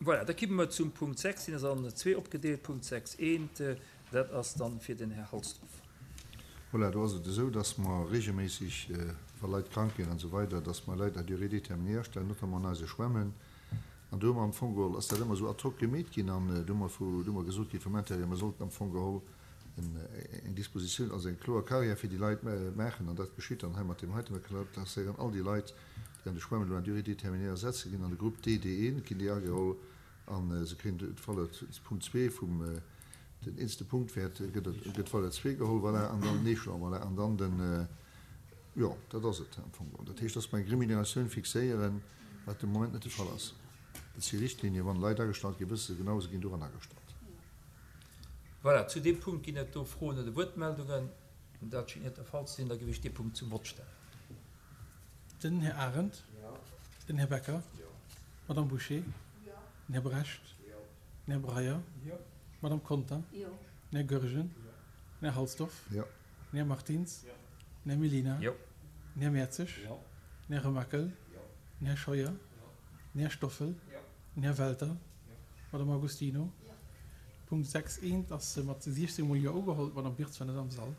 Voilà, da kimme mer zum Punkt 6, deen ass an zwee opgedeelt. Punkt 6 eent, dat ass dann fir den Här Halsdorf. Voilà, do ass et esou, dass mer regelméisseg, wa Leit krank ginn an esou weider, dass mer Leit à durée déterminée astellen, notamment an eise Schwämmen. An do hu mer am Fong geholl, ass dat ëmmer esou ad hoc gemeet ginn an do hu mer vu, do hu mer gesot gi vum Intérieur, mer sollten am Fong geholl eng Dispositioun, also eng kloer Carrière fir déi Leit maachen. An dat geschitt dann hei mat deem heiten. Mer klasséieren all déi Leit, déi an de Schwämmen elo à durée déterminée ersetze ginn, an de Grupp D, D1 ginn déi ageholl a se kréien d'Valeur, Punkt zwee vum, den eelste Punktwäert gëtt, gëtt d'Valeur zwee geholl, voilà, an dann den Échelon, voilà, an dann den, jo, dat ass et am Fong geholl. Dat heescht, dass mer eng Rémunératioun fixéieren, wat de Moment net de Fall ass. Dat si Richtlinien, wann Leit agestallt ginn, wësse se genau, se ginn doran agestallt. Voilà, zu deem Punkt ginn et do Froen oder Wuertmeldungen. Dat schéngt net de Fall ze sinn. Da géif ech dee Punkt zum Vott stellen. Den Här Arendt. Den Här Becker. D'Madame Bouché. Den Här Brecht. Den Här Breyer. D'Madame Conter. Den Här Goergen. Den Här Halsdorf. Den Här Martins. Den Här Mellina. Den Här Mertzig. Den Här Remakel. Den Här Scheuer. Den Här Stoffel. Den Här Welter. D'Madame Agostino. Punkt 6 eent ass mat 16 mol Jo ugeholl. D'Madame Wirtz war net am Sall.